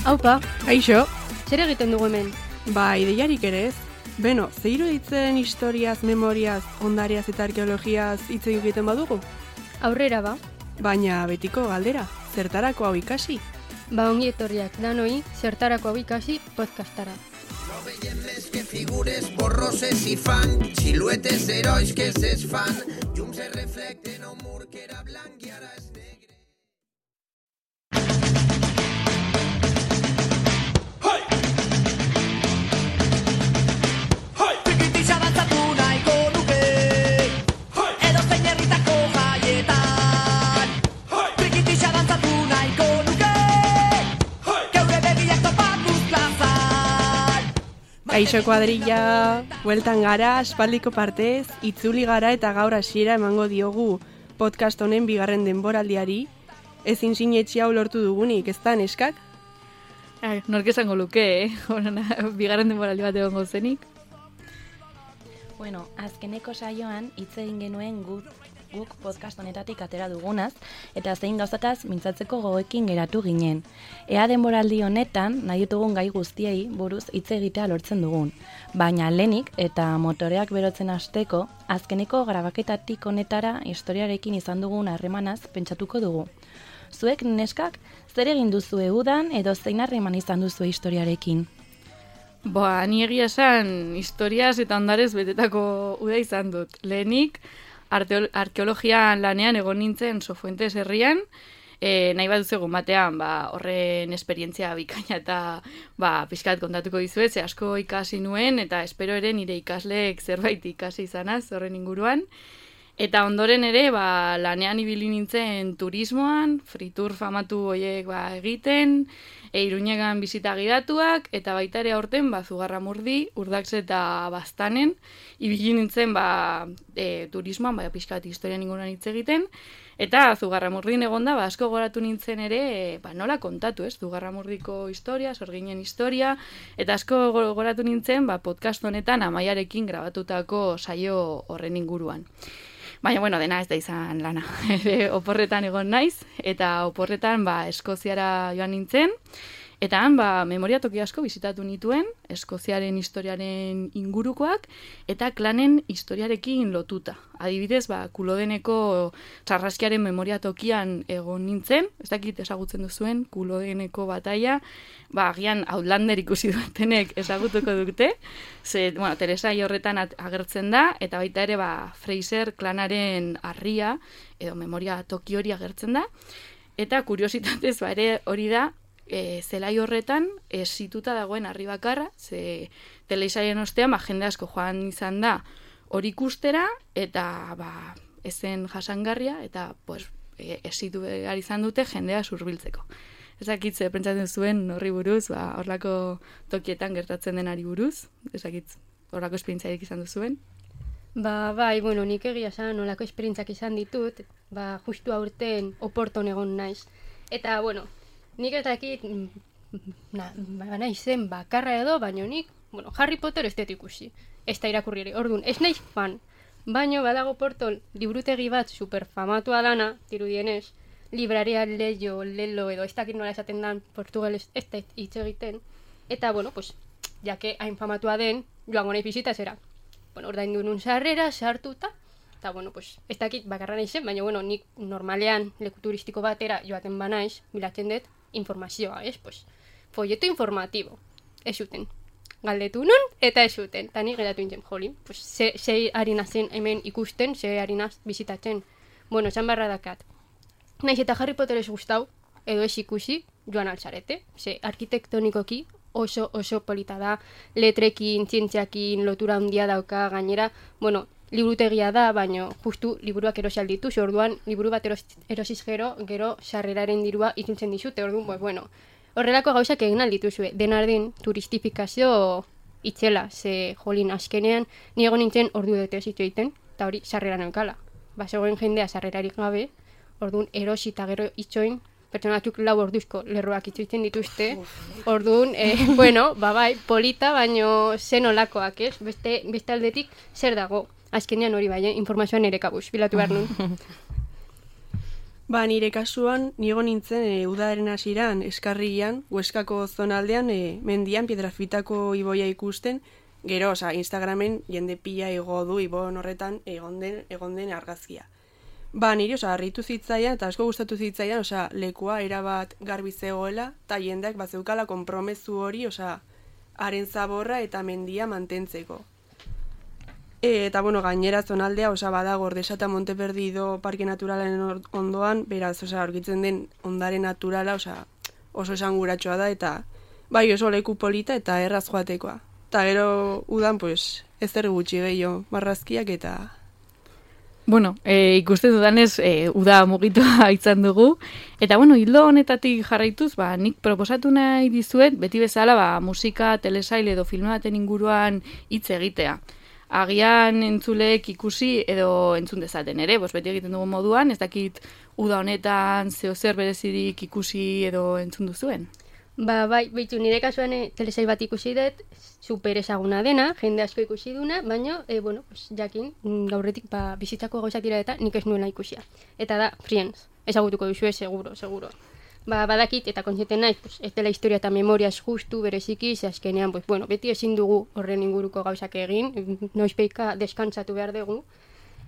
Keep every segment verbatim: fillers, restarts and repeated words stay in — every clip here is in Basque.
Aupa, Aixo, zer egiten dugu hemen? ba, ideiarik ere ez. Beno, ze iruditzen historiaz, memoriaz, ondariaz eta arkeologiaz hitz egiten badugu? Aurrera ba. Baina betiko galdera, zertarako hau ikasi? Ba ongi etorriak danoi, zertarako hau ikasi podcastara. No veiem més que figures borroses i fan, siluetes d'herois que es desfan, llums es reflecten a un mur que era blanc i ara és negre. Kaixo kuadrilla, bueltan gara, aspaldiko partez, itzuli gara eta gaur hasiera emango diogu podcast honen bigarren denboraldiari. Ezin sinetxi hau lortu dugunik, ez da, neskak? Ai, nork esango luke, eh? Bigarren denboraldi bat egongo zenik. Bueno, azkeneko saioan hitz egin genuen guk, guk podcast honetatik atera dugunaz, eta zein gauzataz mintzatzeko gogoekin geratu ginen. Ea denboraldi honetan nahi ditugun gai guztiei buruz hitz egitea lortzen dugun. Baina lehenik eta motoreak berotzen hasteko, azkeneko grabaketatik honetara historiarekin izan dugun harremanaz pentsatuko dugu. Zuek neskak, zer egin duzue udan edo zein harreman izan duzue historiarekin? Boa, ni egia esan historiaz eta ondarez betetako uda izan dut. Lehenik, arkeologia lanean egon nintzen Sofuentes herrian, e, nahi bat duzu egun batean, ba, horren esperientzia bikaina eta ba, pixkat kontatuko dizuet, ze asko ikasi nuen, eta espero ere nire ikasleek zerbait ikasi izanaz horren inguruan. Eta ondoren ere, ba, lanean ibili nintzen turismoan, fritur famatu horiek ba, egiten, e, Iruñegan bizita gidatuak, eta baita ere aurten ba, Zugarramurdi, Urdax eta Baztanen, ibili nintzen ba, e, turismoan, ba, pixkat historian inguruan hitz egiten, eta Zugarramurdin egonda, ba, asko goratu nintzen ere, e, ba, nola kontatu, ez? Zugarramurdiko historia, Sorginen historia, eta asko goratu nintzen ba, podcast honetan Amaiarekin grabatutako saio horren inguruan. Baina, bueno, dena ez da izan lana. Oporretan egon naiz, eta oporretan ba, Eskoziara joan nintzen, eta han ba, memoria toki asko bizitatu nituen, Eskoziaren historiaren ingurukoak, eta klanen historiarekin lotuta. Adibidez, ba, Kulodeneko Sarraskiaren memoria tokian egon nintzen, ez dakit ezagutzen duzuen, Kulodeneko bataia, ba, agian Outlander ikusi dutenek ezagutuko dute, ze, bueno, Teresa horretan agertzen da, eta baita ere, ba, Fraser klanaren harria, edo memoria toki hori agertzen da, eta kuriositatez, ba, ere hori da, E, zelai horretan esituta dagoen harri bakarra, ze telesaien ostean ba, jende asko joan izan da hori ikustera, eta ba, ezen jasangarria, eta pues, e, esitu behar izan dute jendea zurbiltzeko. Ezakitze, pentsatzen zuen horri buruz, ba, horlako tokietan gertatzen denari buruz, ezakitz, horlako esperientziarik izan duzuen. Ba, bai, bueno, nik egia esan olako esperientziak izan ditut, ba, justu aurten Oporton egon naiz. Eta, bueno, nik ez dakit, na, ba, naizen bakarra edo, baino nik, bueno, Harry Potter ez dut ikusi, ez da irakurri ere, orduan, ez naiz fan, baino badago Porton liburutegi bat superfamatua dana, dirudienez, libraria leio, lelo edo, ez dakit nola esaten dan portugalez ez da hitz egiten, eta, bueno, pues, jake hain famatua den, joango nahi bizita zera. Bueno, ordaindu nun sarrera, sartuta, eta, bueno, pues, ez dakit bakarra naizen, baina, bueno, nik normalean leku turistiko batera joaten banaiz, bilatzen dut, informazioa, ez? Pues, folleto informatibo. Ez zuten. Galdetu nun, eta ez zuten. Ta ni geratu nintzen, jolin. Pues, ze, ze harina zen hemen ikusten, ze harina bizitatzen. Bueno, esan barra dakat. Naiz eta Harry Potter ez gustau, edo ez ikusi, joan altzarete. Ze arkitektonikoki oso, oso polita da, letrekin, zientziakin, lotura handia dauka, gainera, bueno, liburutegia da, baina justu liburuak erosi alditu, orduan liburu bat eros, erosiz gero, gero sarreraren dirua itzultzen dizute, orduan, pues, bueno, horrelako gauzak egin aldituzue, denardin turistifikazio itzela, ze jolin askenean, ni egon nintzen ordu dute ez egiten, eta hori sarrera neukala. Ba, zegoen jendea sarrerarik gabe, orduan erosi eta gero itxoin, pertsona batzuk lau orduzko lerroak itzuitzen dituzte, orduan, eh, bueno, ba bai, polita, baino zen olakoak, ez? Beste, beste aldetik zer dago? Azkenean hori bai, eh? Informazioan ere kabuz, bilatu behar nun. Ba, nire kasuan, nigo nintzen e, udaren hasieran eskarrian, Hueskako zonaldean, e, mendian, Piedrafitako iboia ikusten, gero, oza, Instagramen jende pila igo du ibon horretan egon den, egon den argazkia. Ba, niri, oza, harritu zitzaidan, eta asko gustatu zitzaidan, oza, lekua erabat garbi zegoela, eta jendeak bat zeukala konpromezu hori, oza, haren zaborra eta mendia mantentzeko. E, eta, bueno, gainera zonaldea, oza, badago Ordesa eta Monteperdido parke naturalen ondoan, beraz, oza, aurkitzen den ondare naturala, oza, oso esanguratsua da, eta bai oso leku polita eta erraz joatekoa. Eta gero udan, pues, ez zer gutxi gehiago, marrazkiak eta... Bueno, e, ikusten dudanez, e, uda mugitoa izan dugu. Eta, bueno, hildo honetatik jarraituz, ba, nik proposatu nahi dizuet, beti bezala, ba, musika, telesail edo filme baten inguruan hitz egitea. Agian entzuleek ikusi edo entzun dezaten ere, bos beti egiten dugu moduan, ez dakit uda honetan zeo zer berezirik ikusi edo entzun duzuen. Ba, bai, baitu nire kasuan e, telesail bat ikusi dut, super ezaguna dena, jende asko ikusi duna, baina, e, bueno, pues, jakin, gaurretik ba, bizitzako gauzak dira eta nik ez nuela ikusia. Eta da, Friends, ezagutuko duzue, seguro, seguro. Ba, badakit, eta kontzienten naiz, pues, ez dela historia eta memoriaz justu, bereziki, ze azkenean, pues, bueno, beti ezin dugu horren inguruko gauzak egin, noizpeika deskantzatu behar dugu.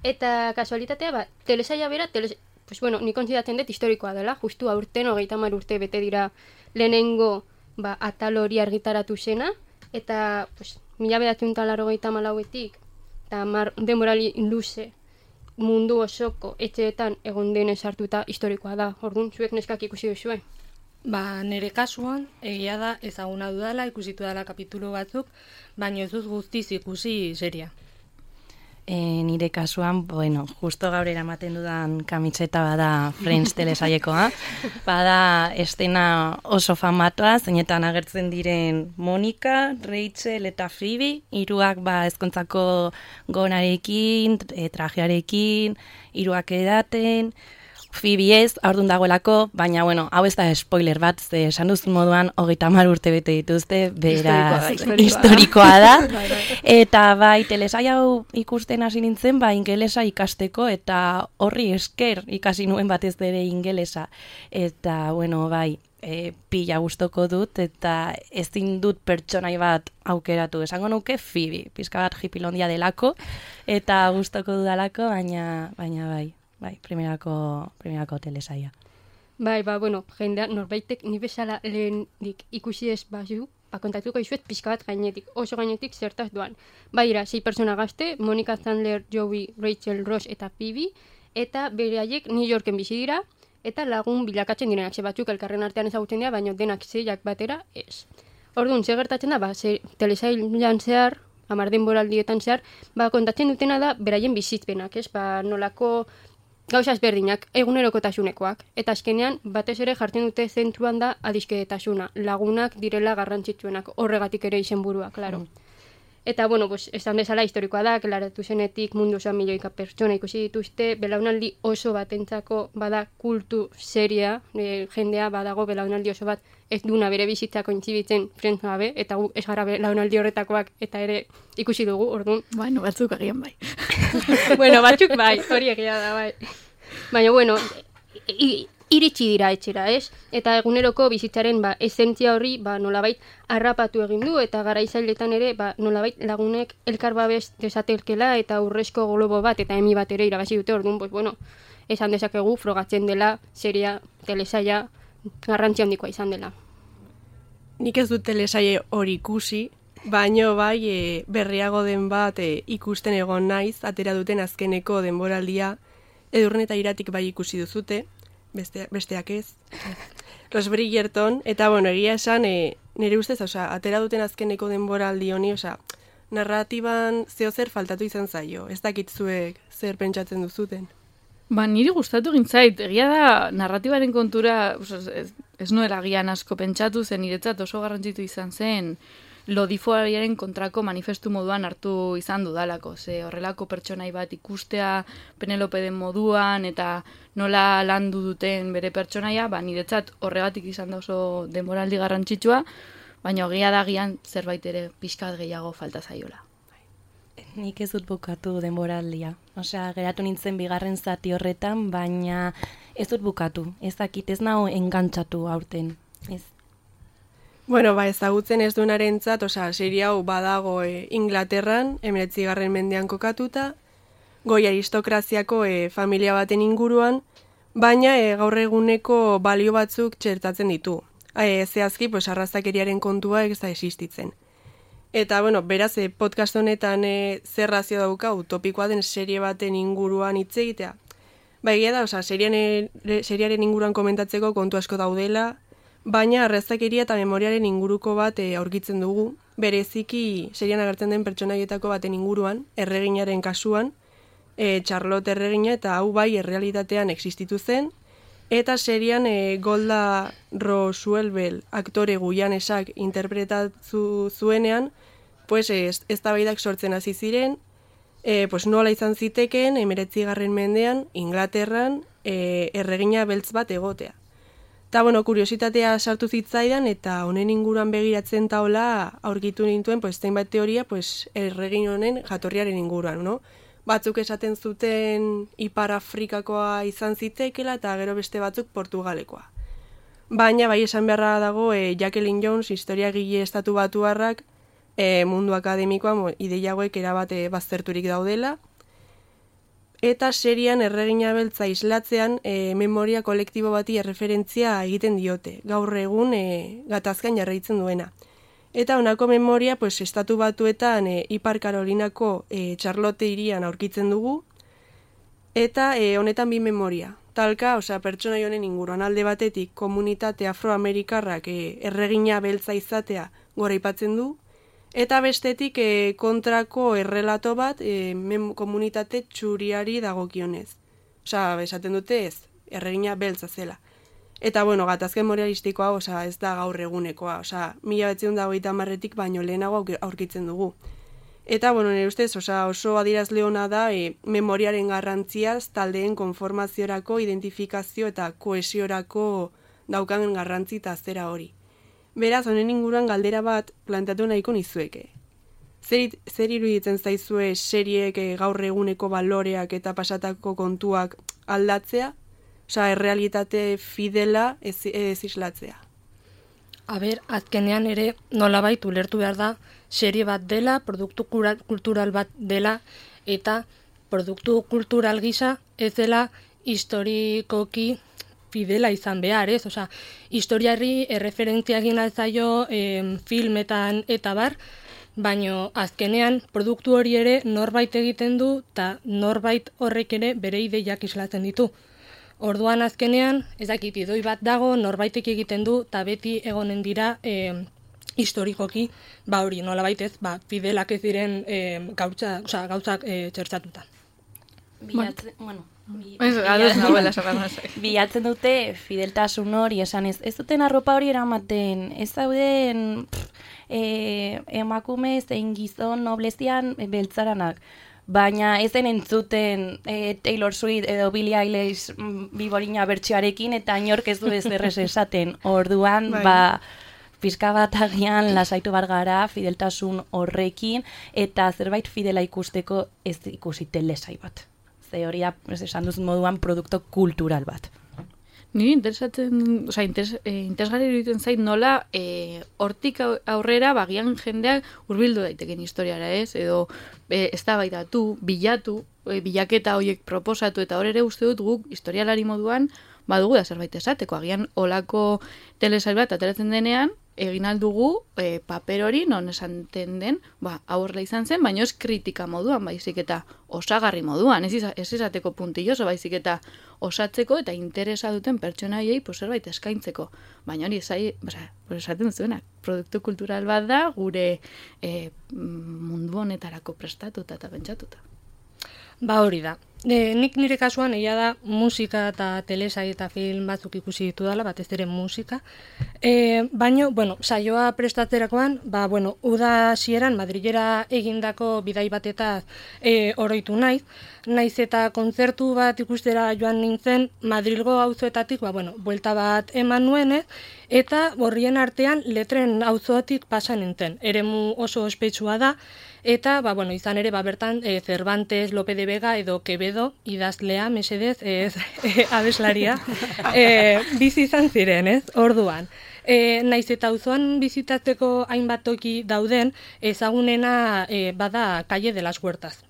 Eta kasualitatea, ba, telesaila bera, teles... pues, bueno, nik kontzidatzen dut historikoa dela, justu aurten, hogeita hamar urte bete dira lehenengo ba, atal hori argitaratu zena, eta pues, mila bederatziehun eta laurogeita hamalauetik, eta mar denborali luze mundu osoko etxeetan egon denez hartuta historikoa da. Orduan, zuek neskak ikusi duzue? Ba, nire kasuan, egia da ezaguna dudala, ikusitu dela kapitulu batzuk, baina ez dut guztiz ikusi seria. E, nire kasuan, bueno, justo gaur eramaten dudan kamiseta bada Friends telesailekoa. Bada estena oso famatua, zeinetan agertzen diren Monika, Rachel eta Phoebe, hiruak ba ezkontzako gonarekin, e, trajearekin, hiruak edaten, Phoebe ez, aurdun dagoelako, baina, bueno, hau ez da spoiler bat, ze esan duzun moduan, hogeita hamar urte bete dituzte, beraz, historikoa da. Eta bai, telesai hau ikusten hasi nintzen, ba, ingelesa ikasteko, eta horri esker ikasi nuen batez ere ingelesa. Eta, bueno, bai, e, pila gustoko dut, eta ezin dut pertsonai bat aukeratu. Esango nuke Phoebe, pizka bat hipilondia delako, eta gustoko dudalako, baina, baina bai. Bai, primerako, primerako telesaia. Bai, ba, bueno, jendea, norbaitek ni bezala lehenik ikusi ez bazu, ba, kontatuko izuet pixka bat gainetik, oso gainetik zertaz duan. Bai, ira, sei persona gazte, Monica Chandler, Joey, Rachel, Ross eta Phoebe, eta bere haiek New Yorken bizi dira, eta lagun bilakatzen direnak, ze batzuk elkarren artean ezagutzen dira, baina denak zeiak batera ez. Orduan, ze gertatzen da, ba, ze telesailan zehar, hamar denboraldietan zehar, ba, kontatzen dutena da, beraien bizitzpenak, ez, ba, nolako gauza ezberdinak, egunerokotasunekoak. Eta azkenean, batez ere jartzen dute zentruan da adizkedetasuna. Lagunak direla garrantzitsuenak, horregatik ere izenburua, klaro. Mm. Eta, bueno, pues, esan bezala historikoa da, klaratu zenetik mundu osoan milioika pertsona ikusi dituzte, belaunaldi oso batentzako bada kultu seria, e, jendea badago belaunaldi oso bat ez duna bere bizitzako intzibitzen Friends gabe, eta gu ez gara belaunaldi horretakoak eta ere ikusi dugu, orduan. Bueno, batzuk agian bai. Bueno, batzuk bai, hori egia da, bai. Baina, bueno, i, iritsi dira etxera, ez? Eta eguneroko bizitzaren ba, esentzia horri ba, nolabait harrapatu egin du, eta garaizailetan ere ba, nolabait lagunek elkar babes desatelkela eta urrezko globo bat eta emi bat ere irabazi dute, orduan, pues, bueno, esan dezakegu frogatzen dela seria telesaia garrantzi handikoa izan dela. Nik ez dut telesaile hori ikusi, baino bai e, berriago den bat e, ikusten egon naiz, atera duten azkeneko denboraldia, Edurne eta Iratik bai ikusi duzute, beste, besteak ez. Los Bridgerton, eta bueno, egia esan, e, nire ustez, osea, atera duten azkeneko denboraldi honi, osea, narratiban zeo zer faltatu izan zaio, ez dakit zuek zer pentsatzen duzuten. Ba, niri gustatu egin zait, egia da narratibaren kontura, ez, ez nuela agian asko pentsatu zen, niretzat oso garrantzitu izan zen, lodifoariaren kontrako manifestu moduan hartu izan dudalako. Ze horrelako pertsonai bat ikustea Penelope den moduan eta nola landu duten bere pertsonaia, ba, niretzat horregatik izan da oso denboraldi garrantzitsua, baina egia da agian zerbait ere pixkat gehiago falta zaiola. nik ez dut bukatu denboraldia. Osea, geratu nintzen bigarren zati horretan, baina ez dut bukatu. Ez dakit, ez nago engantzatu aurten. Ez. Bueno, ba, ezagutzen ez duenarentzat, osea, serie hau badago e, Inglaterran, hemeretzigarren mendean kokatuta, goi aristokraziako e, familia baten inguruan, baina e, gaur eguneko balio batzuk txertatzen ditu. E, zehazki, pues, arrazakeriaren kontua ez da existitzen. Eta, bueno, beraz, e, podcast honetan e, zer razio dauka utopikoa den serie baten inguruan hitz egitea. Ba, egia da, osea, serian, seriaren inguruan komentatzeko kontu asko daudela, baina arrazakeria eta memoriaren inguruko bat e, aurkitzen dugu, bereziki serian agertzen den pertsonaietako baten inguruan, erreginaren kasuan, e, Charlotte erregina, eta hau bai errealitatean existitu zen, eta serian e, Golda Roosevelt aktore guianesak interpretatu zuenean, pues ez, eztabaidak sortzen hasi ziren, e, pues nola izan zitekeen hemeretzigarren mendean Inglaterran e, erregina beltz bat egotea. Eta, bueno, kuriositatea sartu zitzaidan eta honen inguruan begiratzen taola aurkitu nintuen, pues, zenbait teoria, pues, erregin honen jatorriaren inguruan, no? Batzuk esaten zuten Ipar Afrikakoa izan zitekela eta gero beste batzuk Portugalekoa. Baina, bai esan beharra dago, e, Jacqueline Jones, historiagile estatu batuarrak, e, mundu akademikoa ideia hauek erabate bazterturik daudela, eta serian erregina beltza islatzean e, memoria kolektibo bati erreferentzia egiten diote, gaur egun e, gatazkan jarraitzen duena. Eta honako memoria, pues, estatu batuetan e, Ipar Karolinako e, Charlotte hirian aurkitzen dugu, eta e, honetan bi memoria. Talka, osea, pertsonai honen inguruan alde batetik komunitate afroamerikarrak e, erregina beltza izatea goraipatzen du, eta bestetik e, kontrako errelato bat e, mem, komunitate txuriari dagokionez. Osea, esaten dute ez, erregina beltza zela. Eta, bueno, gatazken memorialistikoa, osea, ez da gaur egunekoa. Osea, mila behatziehun eta hogeita hamarretik baino lehenago aurkitzen dugu. Eta, bueno, nire ustez, osea, oso adierazle ona da e, memoriaren garrantziaz taldeen konformaziorako, identifikazio eta kohesiorako daukan garrantzi eta zera hori. Beraz, honen inguruan galdera bat planteatu nahiko nizueke. Zer, zer iruditzen zaizue seriek gaur eguneko baloreak eta pasatako kontuak aldatzea? Osea, errealitate fidela ez, ez islatzea. A ber, azkenean ere nolabait ulertu behar da serie bat dela, produktu kultural bat dela, eta produktu kultural gisa ez dela historikoki fidela izan behar, ez? Osea, historiari erreferentzia egin altzaio eh, filmetan eta bar, baino azkenean produktu hori ere norbait egiten du eta norbait horrek ere bere ideiak islatzen ditu. Orduan azkenean, ez dakit idoi bat dago, norbaitek egiten du eta beti egonen dira eh, historikoki, ba hori nolabait ez, ba fidelak ez diren eh, gautza, osea, gauzak eh, txertatuta. Bilatzen, bueno, Bi, Ez, ados nagoela esan bilatzen dute fideltasun hori, esan ez, ez duten arropa hori eramaten, ez dauden pff, e, emakume zein gizon noblezian beltzaranak, baina ez den entzuten e, Taylor Swift edo Billie Eilish biborina bertsioarekin eta inork ez du ez errez esaten, orduan, bai. ba, pizka bat agian lasaitu bar gara fideltasun horrekin eta zerbait fidela ikusteko ez ikusi telesai bat. Hori da, esan duzun moduan, produktu kultural bat. Niri interesatzen, oza, interes, eh, interesgarri iruditzen zait nola eh, hortik aurrera bagian jendeak hurbildu daiteken historiara, ez? Edo eh, eztabaidatu, bilatu, eh, bilaketa horiek proposatu, eta hor ere uste dut guk historialari moduan badugu da zerbait esateko. Agian olako telesail bat ateratzen denean, egin aldugu e, paper hori non esanten den, ba, aurrela izan zen, baina ez kritika moduan, baizik eta osagarri moduan, ez, ez izateko puntilloso, baizik eta osatzeko eta interesa duten pertsonaiei pues, zerbait eskaintzeko. Baina hori zai, oza, esaten duzuena, produktu kultural bat da, gure e, mundu honetarako prestatuta eta pentsatuta. Ba hori da. E, nik nire kasuan egia da musika eta telesai eta film batzuk ikusi ditu dela, batez ere musika. E, baino, bueno, saioa prestatzerakoan, ba, bueno, uda hasieran Madrilera egindako bidai batetaz e, oroitu naiz. Naiz eta kontzertu bat ikustera joan nintzen Madrilgo auzoetatik, ba, bueno, buelta bat eman nuenez, eta horrien artean letren auzotik pasa nintzen. Eremu oso ospetsua da, eta ba, bueno, izan ere ba, bertan e, Cervantes, Lope de Vega edo Quevedo idazlea, mesedez, ez e, abeslaria, e, bizi izan ziren, ez, orduan. E, naiz eta auzoan bizitatzeko hainbat toki dauden, ezagunena e, bada Calle de las Huertas.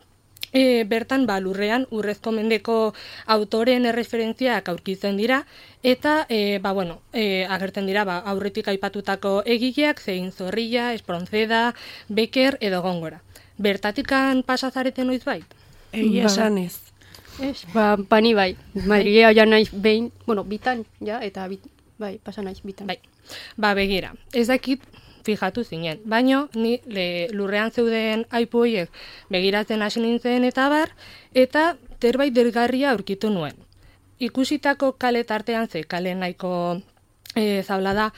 E, bertan, ba, lurrean, urrezko mendeko autoren erreferentziak aurkitzen dira, eta, e, ba, bueno, e, agertzen dira, ba, aurretik aipatutako egileak, zein Zorrilla, Espronceda, Becker edo Góngora. Bertatikan pasazareten noiz bait? Egia esan ez. Ez, ba, bani bai. Madrilea ja naiz behin, bueno, bitan, ja, eta bit, bai, pasa naiz bitan. Bai, ba, begira, ez dakit fijatu zinen, baino ni le, lurrean zeuden aipu horiek begiratzen hasi nintzen eta bar, eta zerbait dergarria aurkitu nuen. Ikusitako kale tartean ze, kale nahiko e, zaula da,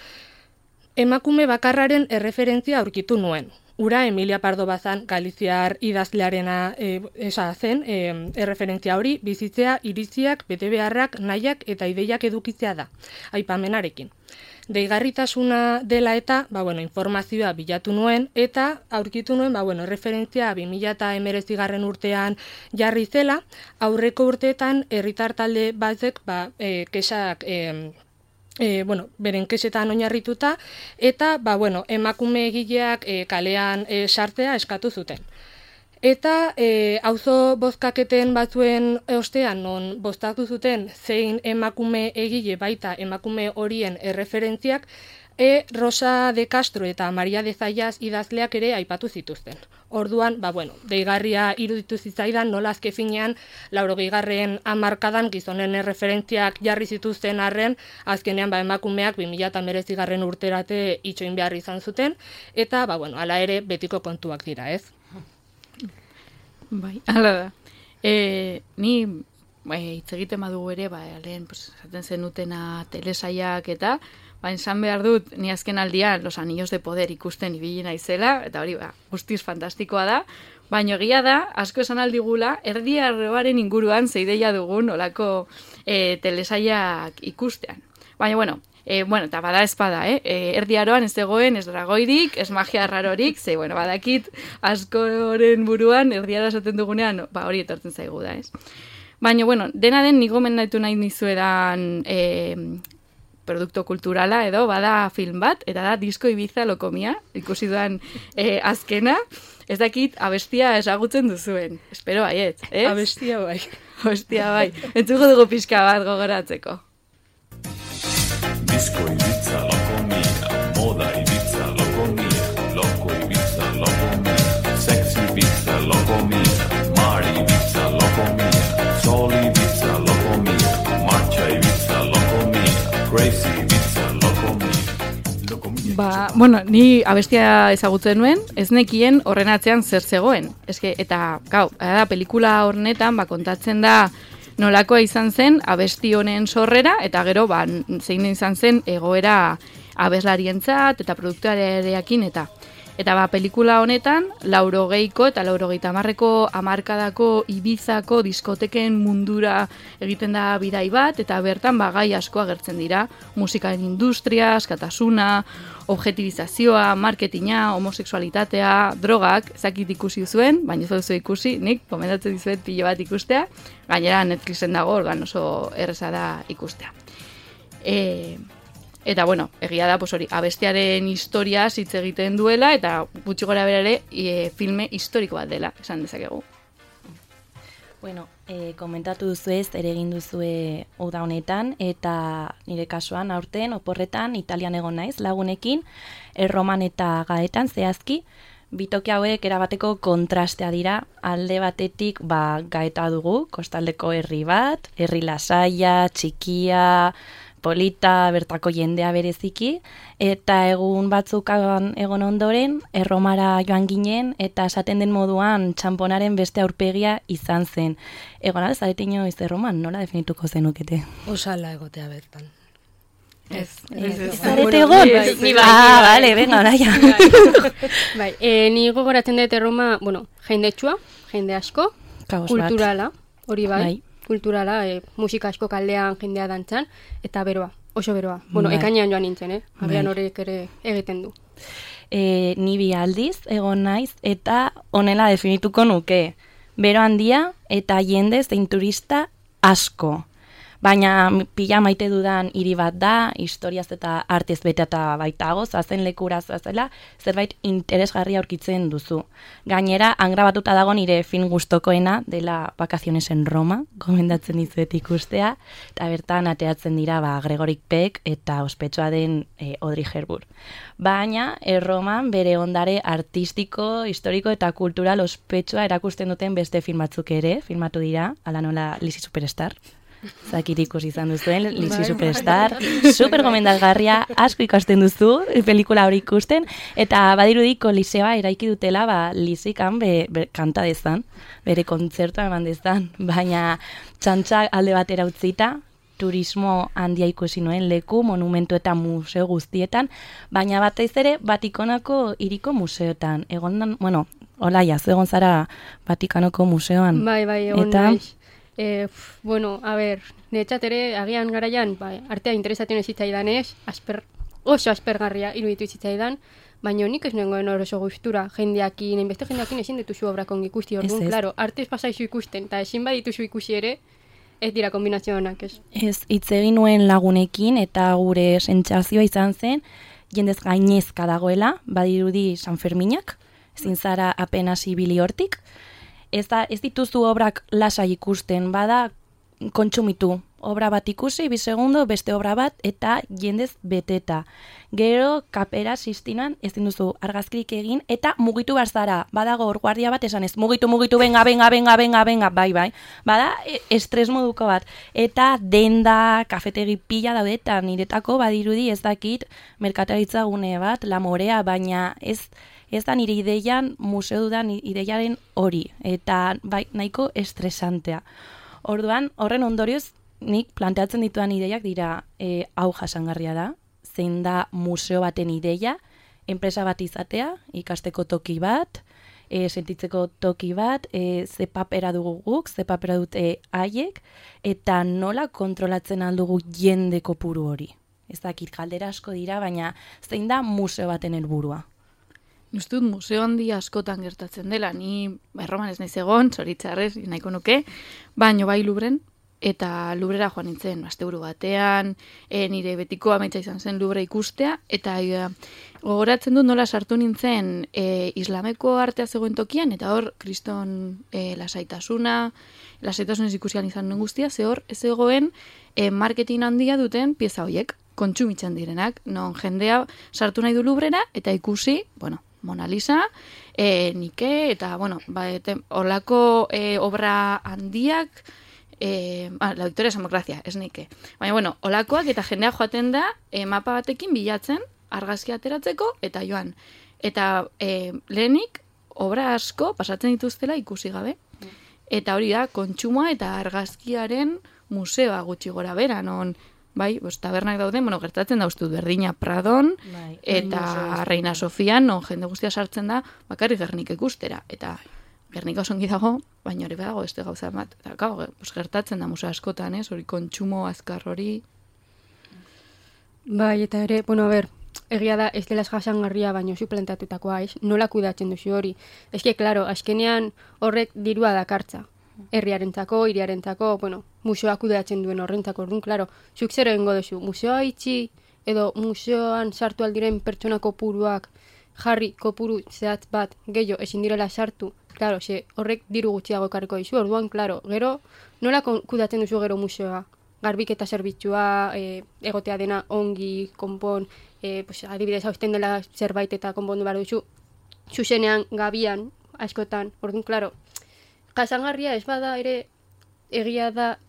emakume bakarraren erreferentzia aurkitu nuen. Ura Emilia Pardo Bazan Galiziar idazlearena e, esa zen, e, erreferentzia hori bizitzea, iriziak, betebeharrak, nahiak eta ideiak edukitzea da, aipamenarekin. Deigarritasuna dela eta, ba, bueno, informazioa bilatu nuen, eta aurkitu nuen, ba, bueno, referentzia bi mila hemeretzigarren urtean jarri zela, aurreko urteetan herritar talde batzek, ba, e, kesak, e, e, bueno, beren kesetan oinarrituta, eta, ba, bueno, emakume egileak e, kalean e, sartzea eskatu zuten. Eta e, auzo bozkaketen batzuen ostean, non boztatu zuten zein emakume egile baita emakume horien erreferentziak, e, Rosa de Castro eta Maria de Zayas idazleak ere aipatu zituzten. Orduan, ba, bueno, deigarria iruditu zitzaidan nola azke finean, laurogeigarren hamarkadan gizonen erreferentziak jarri zituzten arren, azkenean ba, emakumeak bi mila hemeretzigarren urterate itxoin behar izan zuten, eta, ba, bueno, hala ere betiko kontuak dira, ez? Bai, hala da. E, ni bai, hitz egiten badugu ere, ba, lehen, pues, esaten zenutena telesaiak eta, ba, esan behar dut, ni azken aldian Los Anillos de Poder ikusten ibili naizela, eta hori, ba, guztiz fantastikoa da, baina egia da, asko esan aldigula, Erdi Arroaren inguruan zeideia dugun olako e, telesaiak ikustean. Baina, bueno, E, bueno, eta bada espada, eh? E, Erdi Aroan ez zegoen, ez dragoirik, ez magia rarorik, ze, bueno, badakit askoren buruan, Erdi Aroa esaten dugunean, ba, hori etortzen zaigu da, ez? Baina, bueno, dena den nigo mendaitu nahi nizuedan e, produkto kulturala edo, bada film bat, eta da Disko Ibiza Lokomia, ikusi duan e, azkena, ez dakit abestia esagutzen duzuen. Espero baiet, ez? Abestia bai. Abestia bai. Entzuko dugu pixka bat gogoratzeko. Disko Ibiza Lokomia, moda Ibiza Lokomia, loko Ibiza Lokomia, sexy Ibiza Lokomia, Mari Ibiza Lokomia, Sol Ibiza Lokomia, marcha Ibiza Lokomia, crazy Ibiza Lokomia. Ba, bueno, ni abestia ezagutzen nuen, ez nekien horren atzean zer zegoen. Eske, eta, gau, da, pelikula hornetan, ba, kontatzen da, nolakoa izan zen abesti honen sorrera, eta gero ba, zein izan zen egoera abeslarientzat eta produktuarearekin eta eta ba, pelikula honetan laurogeiko eta laurogeita hamarreko hamarkadako Ibizako diskoteken mundura egiten da bidai bat, eta bertan ba, gai asko agertzen dira, musikaren industria, askatasuna, objetibizazioa, marketinga, homosexualitatea, drogak, zakit ikusi zuen, baina ez duzu ikusi, nik komendatzen dizuet pilo bat ikustea, gainera Netflixen dago, organ oso erreza da ikustea. E, eta, bueno, egia da, pues hori, abestiaren historia hitz egiten duela, eta gutxi gora bera ere, e, filme historiko bat dela, esan dezakegu. Bueno, e, komentatu duzuez, ere egin duzue uda honetan, eta nire kasuan aurten, oporretan, Italian egon naiz, lagunekin, Erroman eta Gaetan zehazki, bitoki hauek erabateko kontrastea dira, alde batetik ba, Gaeta dugu, kostaldeko herri bat, herri lasaia, txikia, polita, bertako jendea bereziki, eta egun batzuk egon ondoren, Erromara joan ginen, eta esaten den moduan txamponaren beste aurpegia izan zen. Egon ala, zarete inoiz Erroman, nola definituko zenukete? Osala egotea bertan. Ez, ez, ez. Zarete egon? Ni bai, ah, bale, venga, oraia. Bai, e, ni gogoratzen dut Erroma, bueno, jendetsua, jende asko, Kaos bat. kulturala, hori bai, Bai. kulturala, e, musika asko kaldean jendea dantzan, eta beroa, oso beroa. Bueno, Bai. ekainean joan nintzen, eh? Agian Bai. horrek ere egiten du. E, ni bi aldiz egon naiz eta honela definituko nuke. Bero handia eta jende zein turista asko. Baina pila maite dudan hiri bat da, historiaz eta artez beteta baitago, zazen lekura zazela, zerbait interesgarria aurkitzen duzu. Gainera, angrabatuta dago nire film gustokoena dela Vacaciones en Roma, gomendatzen dizuet ikustea, eta bertan ateratzen dira ba, Gregorik Peck eta ospetsua den e, Audrey Hepburn. Baina, Erroman bere ondare artistiko, historiko eta kultural ospetsua erakusten duten beste film batzuk ere, filmatu dira, ala nola Lizzie Superstar. Zakit ikusi izan duzuen, Lizzie Superstar, super gomendagarria, asko ikasten duzu, pelikula hori ikusten, eta badirudi koliseoa eraiki dutela, ba, Lizziekan be, be, kanta dezan, bere kontzertua eman dezan, baina txantxa alde batera utzita, turismo handia ikusi nuen leku, monumentu eta museo guztietan, baina batez ere Vatikanoko hiriko museotan, egon, bueno, olaia, zu egon zara Vatikanoko museoan. Bai, bai, egon eta, naiz. Eh, pf, bueno, a ber, netxat ere, agian garaian, bai, artea interesatzen ez zitzaidan ez, asper, oso aspergarria iruditu zitzaidan, baina nik ez nengoen oso gustura, jendeakin, enbeste jendeakin ezin dituzu obrak ongi ikusti, orduan, Ez, ez. claro, artez pasaizu ikusten, eta ezin badituzu ikusi ere, ez dira kombinazio honak, ez. Ez, hitz egin nuen lagunekin eta gure sentsazioa izan zen, jendez gainezka dagoela, badirudi San Ferminak, ezin zara apenas ibili hortik. Ez, da, ez dituzu obrak lasai ikusten, bada kontsumitu. Obra bat ikusi, bi segundo, beste obra bat, eta jendez beteta. Gero, kapera sistinan, ez duzu argazkirik egin, eta mugitu behar zara. Badago hor guardia bat esan ez, mugitu, mugitu, benga, benga, benga, benga, benga, bai, bai. Bada, e, estres moduko bat. Eta denda, kafetegi pila daude, eta niretako badirudi ez dakit merkataritza gune bat, La Morea, baina ez... Ez da nire ideian, museo dudan ideiaren hori, eta bai, nahiko estresantea. Orduan, horren ondorioz, nik planteatzen dituan ideiak dira e, hau jasangarria da, zein da museo baten ideia, enpresa bat izatea, ikasteko toki bat, e, sentitzeko toki bat, e, ze papera dugu guk, ze papera dute haiek, eta nola kontrolatzen aldugu jende kopuru hori. Ez dakit, galdera asko dira, baina zein da museo baten helburua. Ustut museo handi askotan gertatzen dela, ni Erroman ez naiz egon, zoritzarrez, nahiko nuke, baino bai Lubren, eta Lubrera joan nintzen, asteburu batean, e, nire betiko amaitza izan zen Lubre ikustea, eta e, gogoratzen dut nola sartu nintzen e, islameko artea zegoen tokian, eta hor kriston e, lasaitasuna, lasaitasunez ikusian izan nuen guztia, ze hor ez egoen e, marketing handia duten pieza horiek, kontsumitzen direnak, non jendea sartu nahi du Lubrera, eta ikusi, bueno, Mona Lisa, e, Nike, eta, bueno, ba, ete, olako e, obra handiak, e, ah, la Victoria Samocracia, ez Nike. Baina, bueno, olakoak eta jendea joaten da, e, mapa batekin bilatzen, argazki ateratzeko, eta joan. Eta e, lehenik, obra asko pasatzen dituztela ikusi gabe. Eta hori da, kontsumoa eta argazkiaren museoa gutxi gora bera, non... Bai, bos, tabernak dauden, bueno, gertatzen da uste berdina Pradon, Bai, eta Reina Sofian, non jende guztia sartzen da, bakarrik Gernik ikustera. Eta Gernika oso ongi dago, baina hori badago beste gauza bat. Eta gau, bos, gertatzen da museo askotan, ez? Hori kontsumo azkar hori. Bai, eta ere, bueno, a ber, egia da, ez dela jasangarria, baino suplantatutakoa, ez? Nola kudatzen duzu hori? Ez que, klaro, azkenean horrek dirua dakartza. Herriarentzako, hiriarentzako, bueno, museoa kudeatzen duen horrentzako, orduan, klaro, zuk zero egingo duzu, museoa itxi, edo museoan sartu aldiren pertsona kopuruak, jarri kopuru zehatz bat, gehiago, ezin direla sartu, klaro, ze horrek diru gutxiago ekarriko dizu, orduan, klaro, gero, nola kudatzen duzu gero museoa? Garbiketa zerbitzua, e, egotea dena ongi, konpon, e, pues, adibidez hausten dela zerbait eta konpondu behar duzu, zuzenean, gabian, askotan, orduan, klaro, jasangarria ez bada ere egia da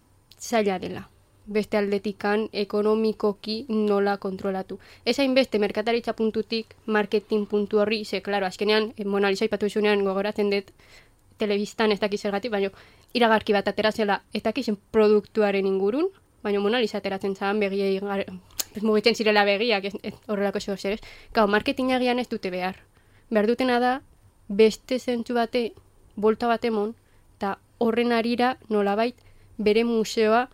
zaila dela. Beste aldetikan ekonomikoki nola kontrolatu. Ez hainbeste merkataritza puntutik, marketing puntu horri, ze, klaro, azkenean, Mona Lisa ipatu ezunean gogoratzen dut telebistan ez dakiz zergatik, baina iragarki bat ateratzela ez dakizen produktuaren ingurun, baina Mona Lisa ateratzen zan begiei, mugitzen zirela begiak, ez, ez, horrelako zego zer ez. Gau, marketingagian ez dute behar. Behar dutena da, beste zentzu bate, bolta bat emon, eta horren arira nolabait bere museoa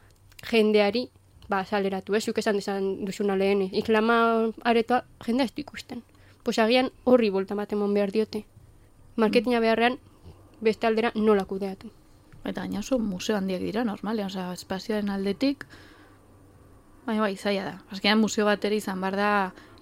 jendeari ba, saleratu, ez, zuk esan desan duzuna lehen, islama aretoa jendea ez du ikusten. Pues agian horri bolta bat emon behar diote. Marketina beharrean, beste aldera nola kudeatu. Eta gaina oso museo handiak dira, normalean, osea, espazioaren aldetik, baina bai, zaila da. Azkenean museo bat ere izan behar da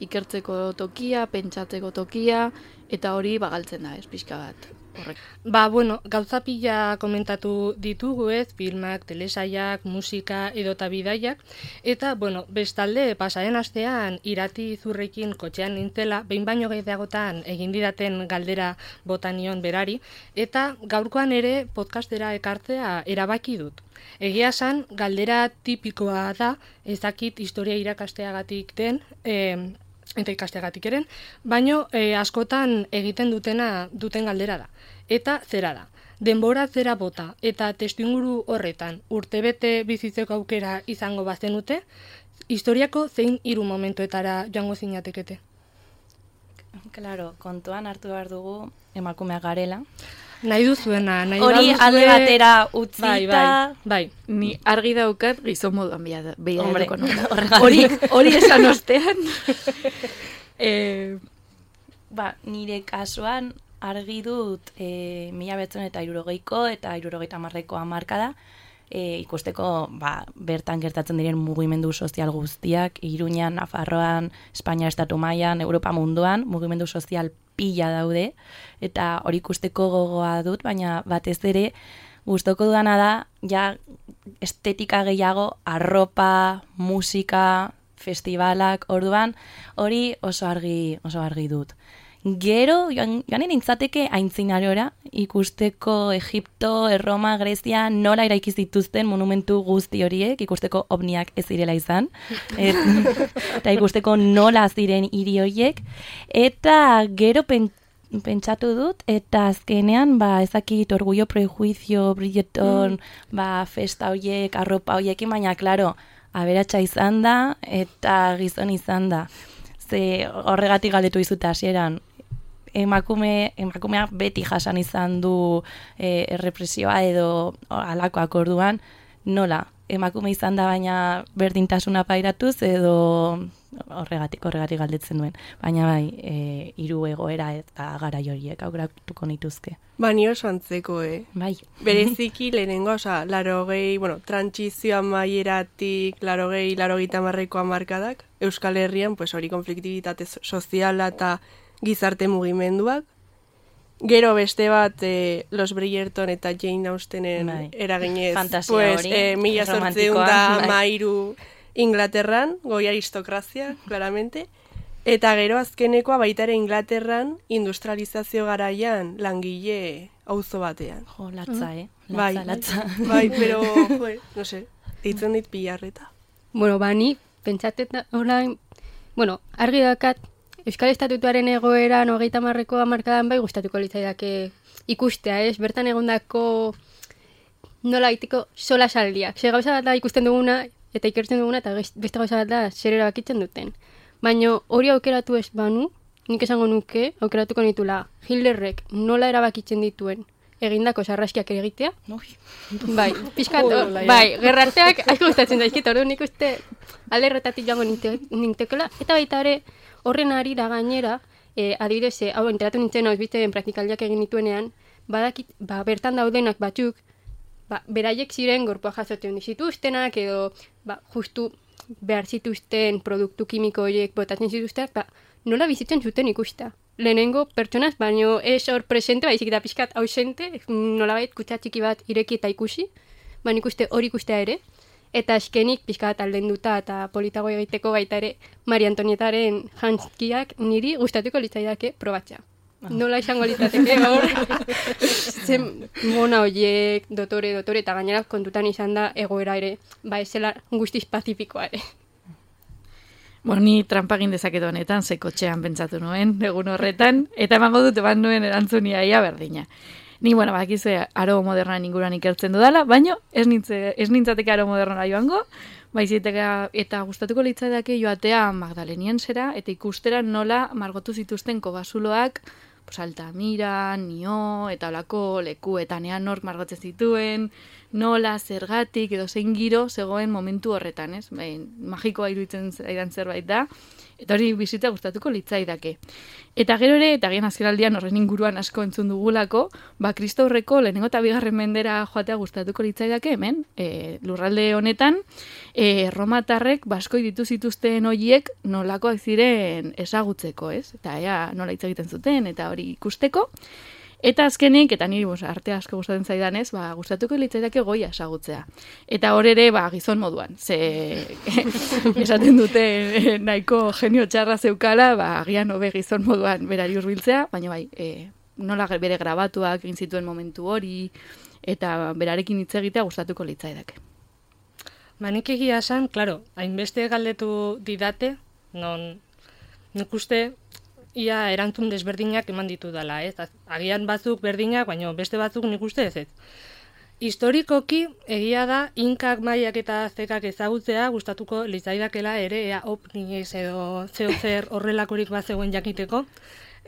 ikertzeko tokia, pentsatzeko tokia, eta hori bagaltzen da, ez, pixka bat. Horrek. Ba, bueno, gauza pila komentatu ditugu ez, filmak, telesaiak, musika edota bidaiak, eta, bueno, bestalde, pasaren astean irati zurrekin kotxean nintzela, behin baino gehiagotan egin didaten galdera botanion berari, eta gaurkoan ere podcastera ekartzea erabaki dut. Egia esan, galdera tipikoa da, ez dakit historia irakasteagatik den, eh, eta ikasteagatik eren, baino eh, askotan egiten dutena duten galdera da. Eta zera da. Denbora zera bota eta testuinguru horretan urtebete bizitzeko aukera izango bazenute, historiako zein hiru momentuetara joango zinatekete? Claro, kontuan hartu behar dugu emakumeak garela. Nahi duzuena, nahi Hori baduzue- alde batera utzita, Bai, bai, bai. Ni argi daukat gizon moduan Hombre, behiratuko nuela. horregatik. Hori, hori esan ostean. eh, Ba, nire kasuan argi dut e, mila betzen eta irurogeiko eta irurogeita marreko hamarkada e, ikusteko ba, bertan gertatzen diren mugimendu sozial guztiak, Iruñan, Nafarroan, Espainia estatu mailan, Europa munduan, mugimendu sozial pila daude, eta hori ikusteko gogoa dut, baina batez ere gustoko dudana da, ja estetika gehiago, arropa, musika, festivalak, orduan, hori oso argi, oso argi dut. Gero, joan, joan nintzateke aintzinarora, ikusteko Egipto, Erroma, Grezia, nola eraiki zituzten monumentu guzti horiek, ikusteko ovniak ez zirela izan, et, eta ikusteko nola ziren hiri horiek, eta gero pen, pentsatu dut, eta azkenean, ba, ezakit orgullo, prejuizio, Bridgerton, mm. ba, festa horiek, arropa horiekin, baina, klaro, aberatsa izan da, eta gizon izan da. Ze horregatik galdetu izut hasieran, emakume, emakumeak beti jasan izan du e, errepresioa edo alakoak orduan, nola, emakume izan da baina berdintasuna pairatuz edo horregatik, horregatik galdetzen duen. Baina bai, e, hiru egoera eta garai horiek aukeratuko nituzke. Ba, ni oso antzeko, eh? Bai. Bereziki lehenengo, oza, larogei, bueno, trantsizioa maieratik, larogei, larogeita marreko hamarkadak, Euskal Herrian, pues hori konfliktibitate soziala eta gizarte mugimenduak. Gero beste bat, eh, Los Bridgerton eta Jane Austenen bai. eraginez, Fantasia pues, hori, eh, mila zortzeun romantikoa, da bai. mairu Inglaterran, goi aristokrazia, claramente. Eta gero azkenekoa baita ere Inglaterran industrializazio garaian langile auzo batean. Jo, latza, eh? Bai, Latza, latza. bai, pero, joe, no sé, ditzen dit pilarreta. Bueno, ba, ni pentsatet orain, bueno, argi dakat, Euskal Estatutuaren egoeran hogeita marreko hamarkadan bai gustatuko litzaidake ikustea, ez? Bertan egondako nola egiteko sola saldiak. Ze gauza bat da ikusten duguna eta ikertzen duguna eta beste gauza bat da zer erabakitzen duten. Baina hori aukeratu ez banu, nik esango nuke, aukeratuko nitula Hitlerrek nola erabakitzen dituen egindako sarraskiak egitea. Ui. Bai, pixkat, Hola, ja. bai, gerrarteak asko gustatzen zaizkit, orduan nik uste alde erretatik joango ninte- nintekela, eta baita ere horren arira gainera, eh, adibidez, eh, hau enteratu nintzen hau bizten praktikaldiak egin nituenean, badakit, ba, bertan daudenak batzuk, ba, beraiek ziren gorpua jasotzen zituztenak, edo ba, justu behar zituzten produktu kimiko horiek botatzen zituztenak, ba, nola bizitzen zuten ikusta. Lehenengo pertsonaz, baino ez hor presente, baizik eta pixkat ausente, nolabait kutxa txiki bat ireki eta ikusi, baina ikuste hori ikustea ere, eta azkenik pixkat aldenduta eta politago egiteko baita ere Maria Antonietaren jantzkiak niri gustatuko litzaidake probatzea. Nola izango litzateke hor, zen mona horiek, dotore, dotore, eta gainera kontutan izan da egoera ere, ba ezela guztiz pazifikoa ere. Bueno, ni trampa egin dezaket honetan, ze kotxean pentsatu nuen, egun horretan, eta emango dut eman nuen erantzunia ia berdina. Ni, bueno, bakizue aro modernan inguruan ikertzen dudala, baina ez, nintze, ez nintzateke aro modernara joango, baiziteka eta gustatuko litzaidake joatea Magdalenien zera, eta ikustera nola margotu zituzten kobasuloak pues, Altamira, Nio, eta olako lekuetan ean nork margotzen zituen, nola, zergatik, edo zein giro zegoen momentu horretan, ez? Bain, magikoa iruditzen zaidan zerbait da, eta hori bizitza gustatuko litzaidake. Eta gero ere, eta gian azkenaldian horren inguruan asko entzun dugulako, ba, kristaurreko lehenengo eta bigarren mendera joatea gustatuko litzaidake hemen, e, lurralde honetan, e, romatarrek baskoi ditu zituzten horiek nolakoak ziren ezagutzeko, ez? Eta ea nola hitz egiten zuten, eta hori ikusteko. Eta azkenik, eta niri bos, arte asko gustatzen zaidanez, ba, gustatuko litzaidake Goia ezagutzea. Eta hor ere, ba, gizon moduan. Ze esaten dute eh, nahiko genio txarra zeukala, ba, agian hobe gizon moduan berari hurbiltzea, baina bai, e, nola bere grabatuak egin zituen momentu hori, eta berarekin hitz egitea gustatuko litzaidake. Ba, nik egia esan, klaro, hainbeste galdetu didate, non nik uste ia erantzun desberdinak eman ditu dela, ez? Agian batzuk berdinak, baina beste batzuk nik uste ez ez. Historikoki, egia da, inkak, maiak eta zekak ezagutzea gustatuko litzaidakela ere, ea opniez edo zeo zer horrelakorik bat zegoen jakiteko.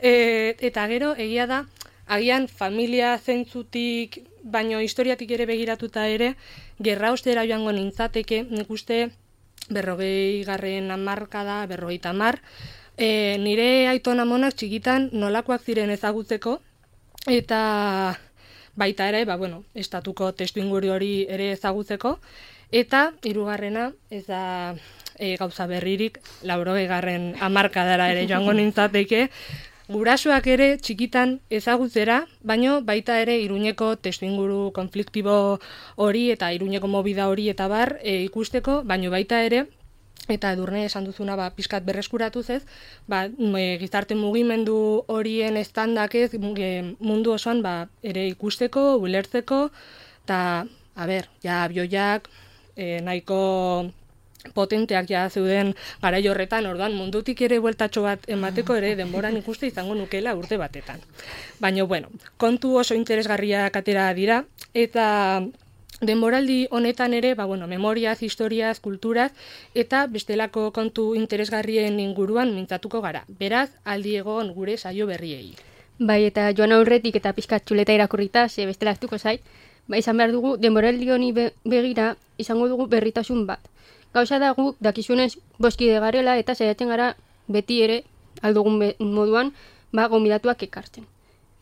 E, eta gero, egia da, agian familia zentzutik, baino historiatik ere begiratuta ere, gerra ostera joango nintzateke, nik uste berrogei garren hamarkada, berrogei tamar, E, nire aitona amonak txikitan nolakoak ziren ezagutzeko, eta baita ere, ba, bueno, estatuko testu inguru hori ere ezagutzeko, eta hirugarrena ez da e, gauza berririk, laurogei garren hamarkadara ere joango nintzateke, gurasoak ere txikitan ezagutzera, baino baita ere Iruñeko testu inguru konfliktibo hori eta Iruñeko movida hori eta bar e, ikusteko, baino baita ere, eta Edurne esan duzuna ba, pizkat berreskuratuz ez, ba, e, gizarte mugimendu horien estandak ez, mundu osoan ba, ere ikusteko, ulertzeko, eta, a ber, ja, bioiak, e, nahiko potenteak ja zeuden garai horretan, orduan mundutik ere bueltatxo bat emateko ere denboran ikuste izango nukela urte batetan. Baina, bueno, kontu oso interesgarriak atera dira, eta denboraldi honetan ere, ba, bueno, memoriaz, historiaz, kulturaz, eta bestelako kontu interesgarrien inguruan mintzatuko gara. Beraz, aldi egon gure saio berriei. Bai, eta joan aurretik eta pizkat txuleta irakurrita, ze bestela hartuko zait, ba, izan behar dugu, denboraldi honi be begira, izango dugu berritasun bat. Gauza da guk, dakizunez, boskide garela, eta saiatzen gara beti ere, aldugun moduan, ba, gonbidatuak ekartzen.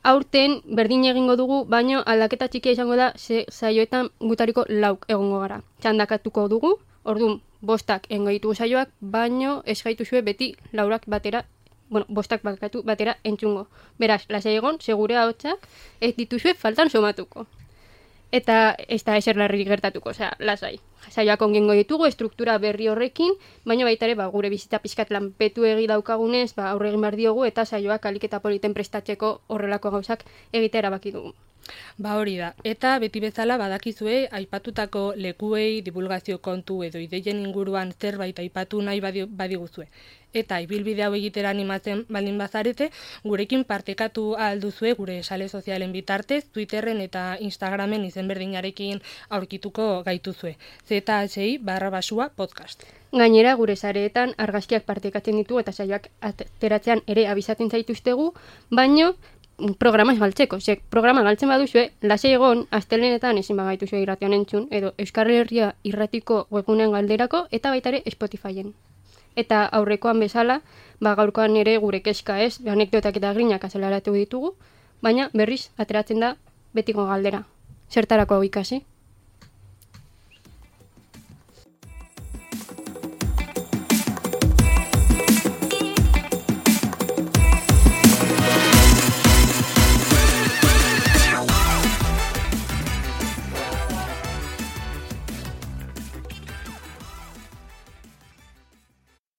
Aurten berdin egingo dugu, baino aldaketa txikia izango da ze saioetan gutariko lauk egongo gara. Txandakatuko dugu, orduan bostak engo ditugu saioak, baino ez gaituzue beti laurak batera, bueno, bostak bakatu batera entzungo. Beraz, lasai egon, segure ahotsak ez dituzue faltan somatuko. Eta ez da eser larririk gertatuko, osea, lasai. Saioak ongengo ditugu, estruktura berri horrekin, baina baita ere, ba, gure bizitza pizkat lanpetu egi daukagunez, ba, aurre egin behar diogu, eta saioak alik eta politen prestatzeko horrelako gauzak egitea erabaki dugu. Ba hori da, eta beti bezala badakizue aipatutako lekuei divulgazio kontu edo ideien inguruan zerbait aipatu nahi badi, badiguzue. Eta ibilbide hau egitera animatzen baldin bazarete, gurekin partekatu alduzue gure sare sozialen bitartez, Twitterren eta Instagramen izen berdinarekin aurkituko gaituzue. Z H I barra basua podcast. Gainera, gure sareetan argazkiak partekatzen ditu eta saioak ateratzean ere abizatzen zaituztegu, baino programa ez galtzeko. Zek, programa galtzen baduzue, lasai egon, astelenetan ezin bagaituzue irratian entzun, edo Euskal Herria irratiko webgunean galderako, eta baita ere Spotifyen. Eta aurrekoan bezala, ba gaurkoan ere gure kezka ez, anekdotak eta grinak azelaratu ditugu, baina berriz ateratzen da betiko galdera. Zertarako hau ikasi?